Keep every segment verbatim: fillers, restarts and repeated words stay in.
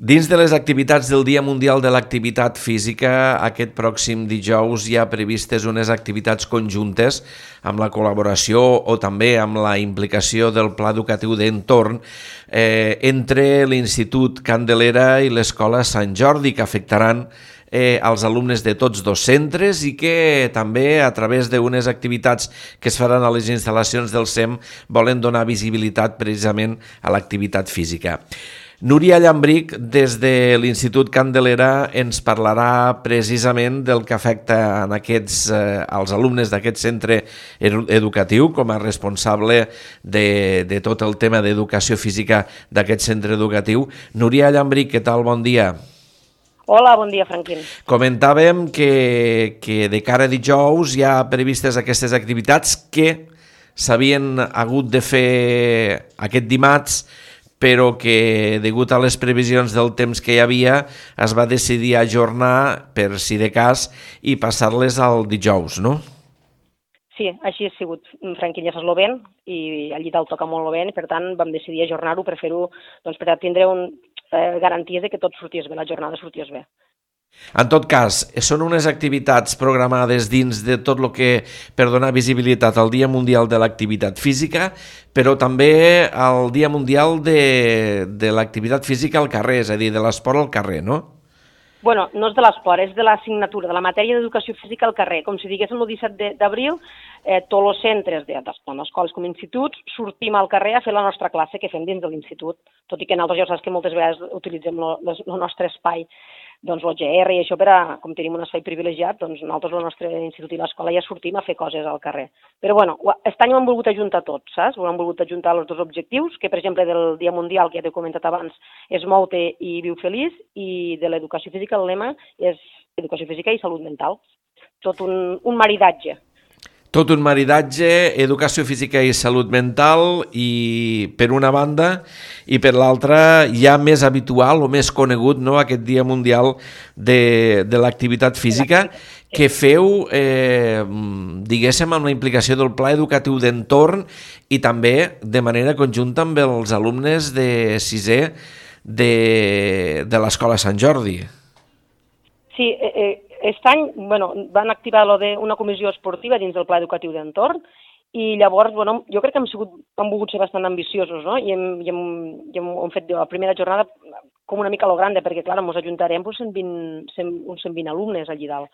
Dins de les activitats del Dia Mundial de l'Activitat Física, aquest pròxim dijous hi ha previstes unes activitats conjuntes amb la col·laboració o també amb la implicació del Pla Educatiu d'Entorn eh, entre l'Institut Candelera i l'Escola Sant Jordi, que afectaran eh, als alumnes de tots dos centres i que també a través d'unes activitats que es faran a les instal·lacions del S E M volen donar visibilitat precisament a l'activitat física. Núria Llambric, des de l'Institut Candelera, ens parlarà precisament del que afecta en aquests, eh, als alumnes d'aquest centre educatiu com a responsable de, de tot el tema d'educació física d'aquest centre educatiu. Núria Llambric, què tal? Bon dia. Hola, bon dia, Franquín. Comentàvem que, que de cara a dijous hi ha previstes aquestes activitats que s'havien hagut de fer aquest dimarts, però que, degut a les previsions del temps que hi havia, es va decidir ajornar, per si de cas, i passar-les al dijous, no? Sí, així ha sigut. Franquín ja saps lo vent, i allí dalt toca molt lo vent, i per tant vam decidir ajornar-ho per fer-ho, doncs per tindre un, eh, garanties de que tot sortís bé, la jornada sortís bé. En tot cas, són unes activitats programades dins de tot el que per donar visibilitat al Dia Mundial de l'Activitat Física, però també al Dia Mundial de, de l'Activitat Física al carrer, és a dir, de l'esport al carrer, no? Bueno, no és de l'esport, és de l'assignatura, de la matèria d'educació física al carrer. Com si diguéssim el disset d'abril, eh, tots els centres, de, tant escoles com instituts, sortim al carrer a fer la nostra classe que fem dins de l'institut. Tot i que nosaltres ja saps que moltes vegades utilitzem el nostre espai, doncs l'O G R i això, per a, com tenim un espai privilegiat, doncs nosaltres, el nostre institut i l'escola, ja sortim a fer coses al carrer. Però bueno, aquest any ho hem volgut ajuntar tot, saps? Ho hem volgut ajuntar els dos objectius, que per exemple del Dia Mundial, que ja t'he comentat abans, és Mou-te i Viu Feliç, i de l'educació física el lema és educació física i salut mental. Tot un, un maridatge. Tot un maridatge, educació física i salut mental, i per una banda, i per l'altra ja més habitual o més conegut, no, aquest Dia Mundial de, de l'Activitat Física, que feu, eh, diguéssim, amb la implicació del Pla Educatiu d'Entorn i també de manera conjunta amb els alumnes de sisè de, de l'Escola Sant Jordi. Sí, eh, eh, aquest any bueno, van activar lo de una comissió esportiva dins del Pla Educatiu d'Entorn i llavors bueno, jo crec que hem, sigut, hem volgut ser bastant ambiciosos, no? I hem, i hem, i hem, hem fet la primera jornada com una mica a lo grande, perquè clar, ens ajuntarem pues, cent vint, cent, uns cent vint alumnes allí dalt.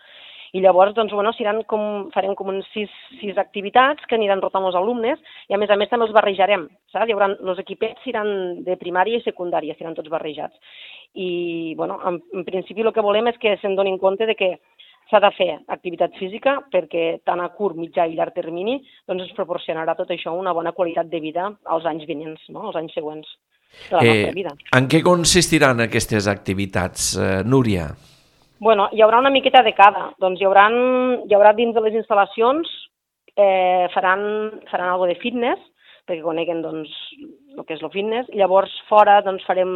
I llavors doncs, bueno, com, farem com uns sis, sis activitats que aniran rotant els alumnes i a més a més també els barrejarem, saps? Hi haurà, els equipets seran de primària i secundària, seran tots barrejats. I bueno, en, en principi el que volem és que se'n donin compte de que s'ha de fer activitat física perquè tant a curt, mitjà i llarg termini doncs ens proporcionarà tot això una bona qualitat de vida als anys vinents, no? als anys següents de la eh, nostra vida. En què consistiran aquestes activitats, eh, Núria? Bueno, hi haurà una miqueta de cada. Doncs hi haurà, hi haurà dins de les instal·lacions, eh, faran, faran alguna de fitness, perquè coneguen doncs, el que és el fitness. Llavors, fora doncs, farem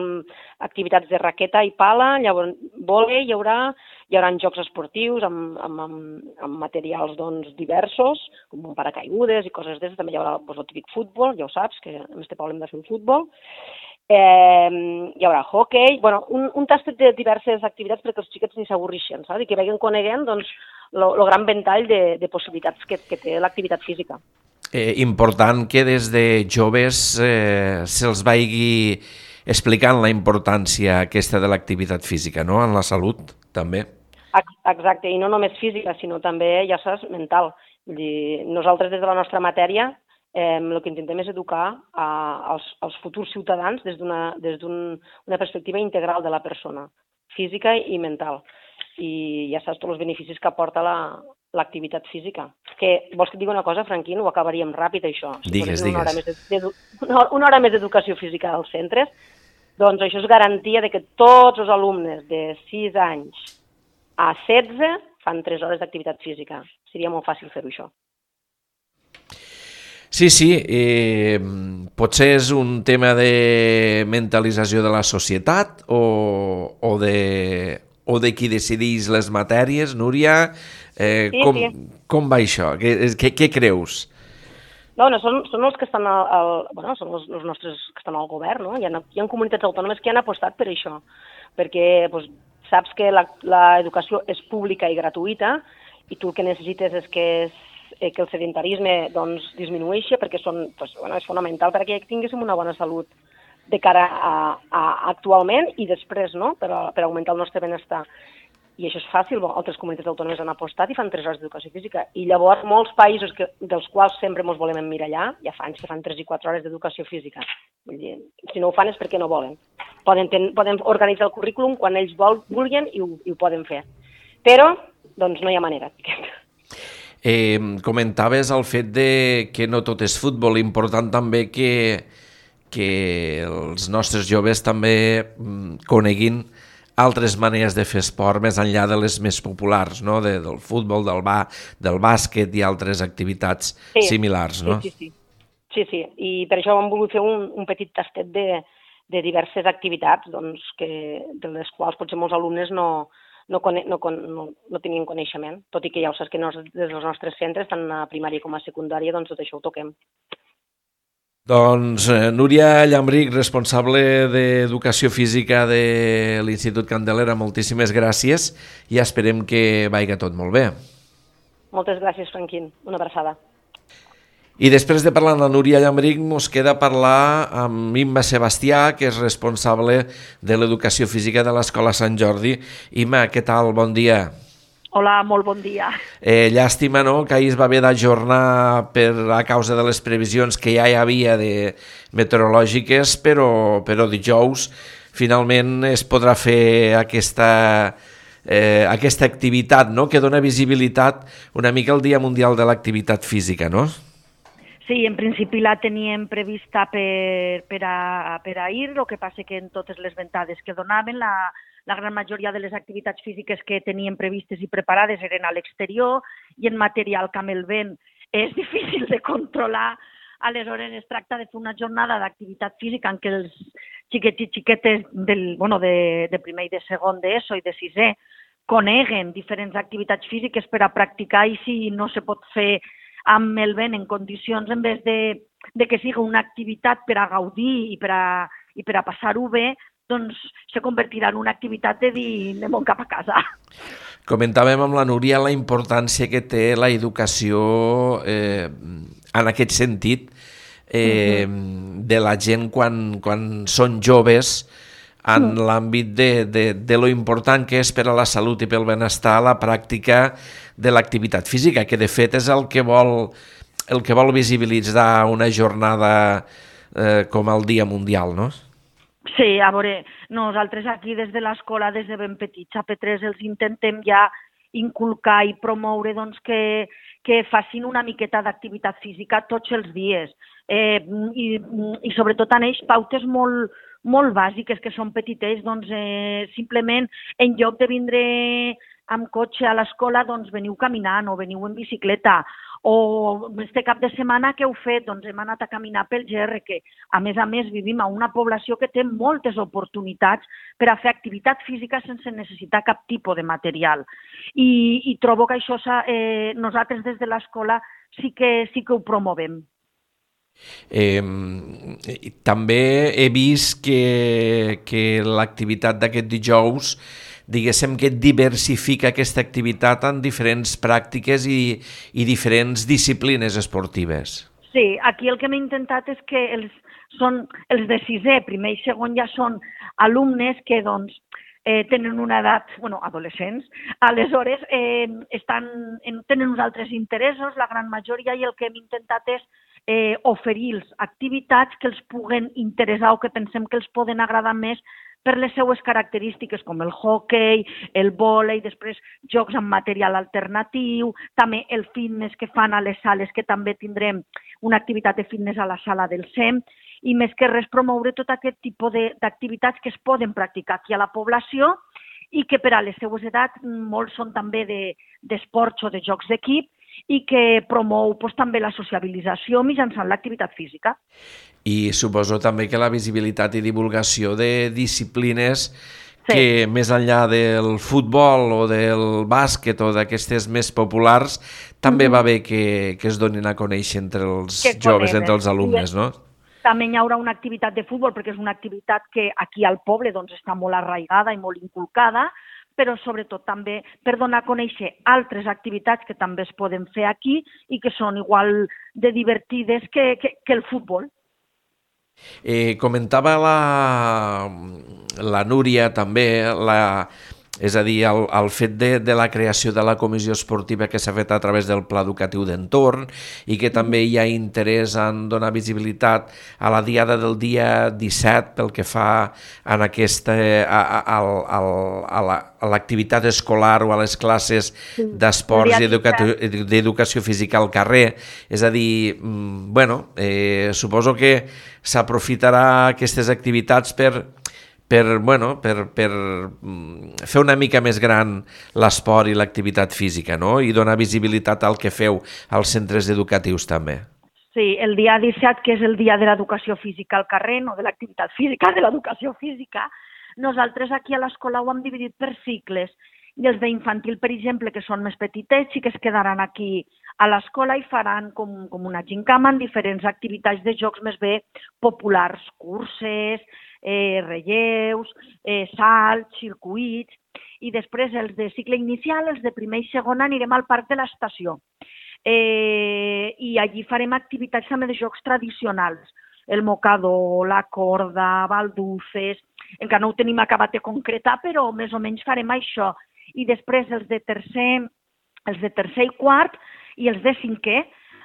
activitats de raqueta i pala, llavors vòlei, hi haurà, hi haurà jocs esportius amb, amb, amb, amb materials doncs, diversos, com un paracaigudes i coses d'aquestes. També hi haurà doncs, el típic futbol, ja ho saps, que en este poble hem de fer un futbol. Eh, hi haurà hockey, bueno, un, un tastet de diverses activitats perquè els xiquets ni s'avorrixen, saps? I que vagin coneguent doncs, el gran ventall de, de possibilitats que, que té l'activitat física. Eh, important que des de joves eh, se'ls vagi explicant la importància aquesta de l'activitat física, no? En la salut, també. Exacte, i no només física, sinó també, ja saps, mental. Vull dir, nosaltres des de la nostra matèria Eh, el que intentem és educar a, als, als futurs ciutadans des d'una des d'un, una perspectiva integral de la persona, física i mental. I ja saps tots els beneficis que aporta l'activitat la, física. Que, vols que et digui una cosa, Franquín? Ho acabaríem ràpid, això. Si digues, digues. Una hora, més de, una, una hora més d'educació física als centres, doncs això és garantia de que tots els alumnes de sis anys a setze fan tres hores d'activitat física. Seria molt fàcil fer-ho, això. Sí, sí, eh, potser és un tema de mentalització de la societat o, o, de, o de qui decideix les matèries, Núria. Eh, sí, com, sí. com va això? Què, què, què creus? Bueno, són, són els que estan al, al, bueno, són els, els nostres que estan al govern, no? Hi ha, hi ha comunitats autònomes que han apostat per això, perquè doncs, saps que l'educació és pública i gratuïta i tu el que necessites és que, és, eh, que el sedentarisme doncs, disminueixi, perquè són, doncs, bueno, és fonamental perquè tinguéssim una bona salut de cara a, a actualment i després, no? per, a, per augmentar el nostre benestar. I això és fàcil, bon, altres comunitats autònomes han apostat i fan tres hores d'educació física. I llavors molts països que, dels quals sempre ens volem emmirallar, ja fa anys que fan tres i quatre hores d'educació física. Vull dir, si no ho fan és perquè no volen. Poden, ten, poden organitzar el currículum quan ells vol, vulguin i ho, i ho poden fer. Però, doncs, no hi ha manera. Eh, comentaves el fet de que no tot és futbol, important també que, que els nostres joves també coneguin altres maneres de fer esport més enllà de les més populars, no? de, del futbol, del, ba, del bàsquet i altres activitats sí, similars. No? Sí, sí, sí. sí, sí. I per això hem volgut fer un, un petit tastet de, de diverses activitats doncs, que, de les quals potser molts alumnes no, no, cone, no, no, no tenien coneixement, tot i que ja ho saps que nos, des dels nostres centres, tant a primària com a secundària, doncs tot això ho toquem. Doncs eh, Núria Llambrich, responsable d'Educació Física de l'Institut Candelera, moltíssimes gràcies i esperem que vagi tot molt bé. Moltes gràcies, Franquín. Una abraçada. I després de parlar amb la Núria Llambrich, ens queda parlar amb Imma Sebastià, que és responsable de l'Educació Física de l'Escola Sant Jordi. Imma, què tal? Bon dia. Hola, molt bon dia. Eh, llàstima, no?, que ahir es va haver d'ajornar per a causa de les previsions que ja hi havia de meteorològiques, però, però dijous finalment es podrà fer aquesta, eh, aquesta activitat, no?, que dona visibilitat una mica al Dia Mundial de l'Activitat Física, no? Sí, en principi la teníem prevista per, per, a, per ahir, el que passa que en totes les ventades que donaven la La gran majoria de les activitats físiques que teníem previstes i preparades eren a l'exterior i en material que amb el vent és difícil de controlar. Aleshores es tracta de fer una jornada d'activitat física en què els xiquets i xiquetes del, bueno, de, de primer i de segon d'ESO i de sisè coneguen diferents activitats físiques per a practicar i si no se pot fer amb el vent en condicions en vez de, de que sigui una activitat per a gaudir i per a, i per a passar-ho bé, doncs se convertirà en una activitat de dir anem cap a casa. Comentàvem amb la Núria la importància que té la educació eh, en aquest sentit eh, uh-huh. de la gent quan, quan són joves en uh-huh. l'àmbit de, de, de lo important que és per a la salut i pel benestar la pràctica de l'activitat física, que de fet és el que vol, el que vol visibilitzar una jornada eh, com el Dia Mundial, no? Sí, a veure, nosaltres aquí des de l'escola, des de ben petits a P tres, els intentem ja inculcar i promoure doncs, que, que facin una miqueta d'activitat física tots els dies. Eh, i, I sobretot en ells pautes molt, molt bàsiques, que són petitets, doncs eh, simplement en lloc de vindre amb cotxe a l'escola, doncs veniu caminant o veniu en bicicleta. O este cap de setmana què heu fet? Doncs hem anat a caminar pel G R, que a més a més vivim a una població que té moltes oportunitats per a fer activitat física sense necessitar cap tipus de material. I, i trobo que això eh, nosaltres des de l'escola sí que, sí que ho promovem. Eh, també he vist que, que l'activitat d'aquest dijous diguéssim que diversifica aquesta activitat en diferents pràctiques i, i diferents disciplines esportives. Sí, aquí el que m'he intentat és que els, són, els de sisè, primer i segon ja són alumnes que doncs, eh, tenen una edat, bueno, adolescents, aleshores eh, estan, en, tenen uns altres interessos, la gran majoria, i el que hem intentat és eh, oferir-los activitats que els puguen interessar o que pensem que els poden agradar més per les seues característiques, com el hockey, el vòlei, després jocs amb material alternatiu, també el fitness que fan a les sales, que també tindrem una activitat de fitness a la sala del S E M, i més que res promoure tot aquest tipus d'activitats que es poden practicar aquí a la població i que per a les seues edats molts són també d'esports o de jocs d'equip i que promou pues, també la sociabilització mitjançant l'activitat física. I suposo també que la visibilitat i divulgació de disciplines sí. que més enllà del futbol o del bàsquet o d'aquestes més populars, també mm-hmm. va bé que, que es donin a conèixer entre els que joves, entre els alumnes, no? També hi haurà una activitat de futbol, perquè és una activitat que aquí al poble doncs, està molt arraigada i molt inculcada, però sobretot també per donar a conèixer altres activitats que també es poden fer aquí i que són igual de divertides que, que, que el futbol. Eh, comentava la, la Núria també, la, és a dir, el, el fet de, de la creació de la comissió esportiva que s'ha fet a través del Pla Educatiu d'Entorn i que també hi ha interès en donar visibilitat a la diada del dia disset pel que fa en aquesta, a, a, a, a l'activitat escolar o a les classes d'esports i d'educació física al carrer. És a dir, bueno, eh, suposo que s'aprofitarà aquestes activitats per per, bueno, per, per fer una mica més gran l'esport i l'activitat física, no? I donar visibilitat al que feu als centres educatius també. Sí, el dia disset, que és el dia de l'educació física al carrer, no de l'activitat física, de l'educació física, nosaltres aquí a l'escola ho hem dividit per cicles. I els d'infantil, per exemple, que són més petitets, sí que es quedaran aquí a l'escola i faran com, com una gincama en diferents activitats de jocs més bé populars, curses, eh, relleus, eh, salts, circuits, i després els de cicle inicial, els de primer i segon, anirem al parc de l'estació. Eh, I allí farem activitats també de jocs tradicionals, el mocador, la corda, balduces, encara no ho tenim acabat de concretar, però més o menys farem això. I després els de tercer, els de tercer i quart i els de cinquè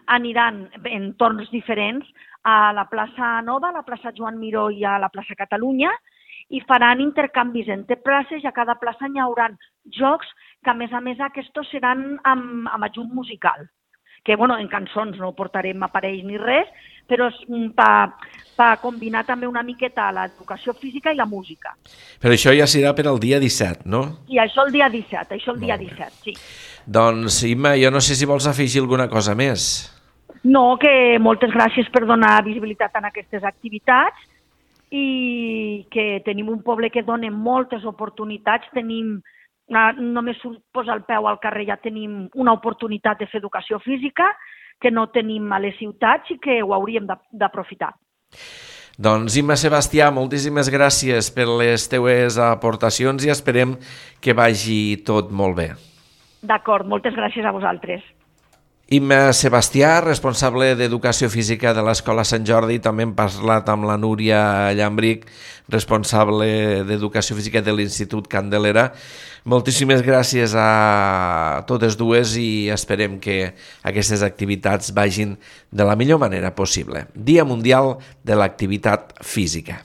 aniran en torns diferents a la plaça Nova, a la plaça Joan Miró i a la plaça Catalunya i faran intercanvis entre places i a cada plaça hi haurà jocs que a més a més aquests seran amb, amb ajut musical. Que bueno, en cançons no portarem aparells ni res, però és per pa combinar també una miqueta l'educació física i la música. Però això ja serà per al dia disset, no? Sí, això el dia disset, això el dia disset, sí. Doncs, Imma, jo no sé si vols afegir alguna cosa més. No, que moltes gràcies per donar visibilitat a aquestes activitats i que tenim un poble que dona moltes oportunitats, tenim, només posa el peu al carrer ja tenim una oportunitat de fer educació física que no tenim a les ciutats i que ho hauríem d'aprofitar. Doncs, Imma Sebastià, moltíssimes gràcies per les teues aportacions i esperem que vagi tot molt bé. D'acord, moltes gràcies a vosaltres. Imma Sebastià, responsable d'Educació Física de l'Escola Sant Jordi, també hem parlat amb la Núria Llambric, responsable d'Educació Física de l'Institut Candelera. Moltíssimes gràcies a totes dues i esperem que aquestes activitats vagin de la millor manera possible. Dia Mundial de l'Activitat Física.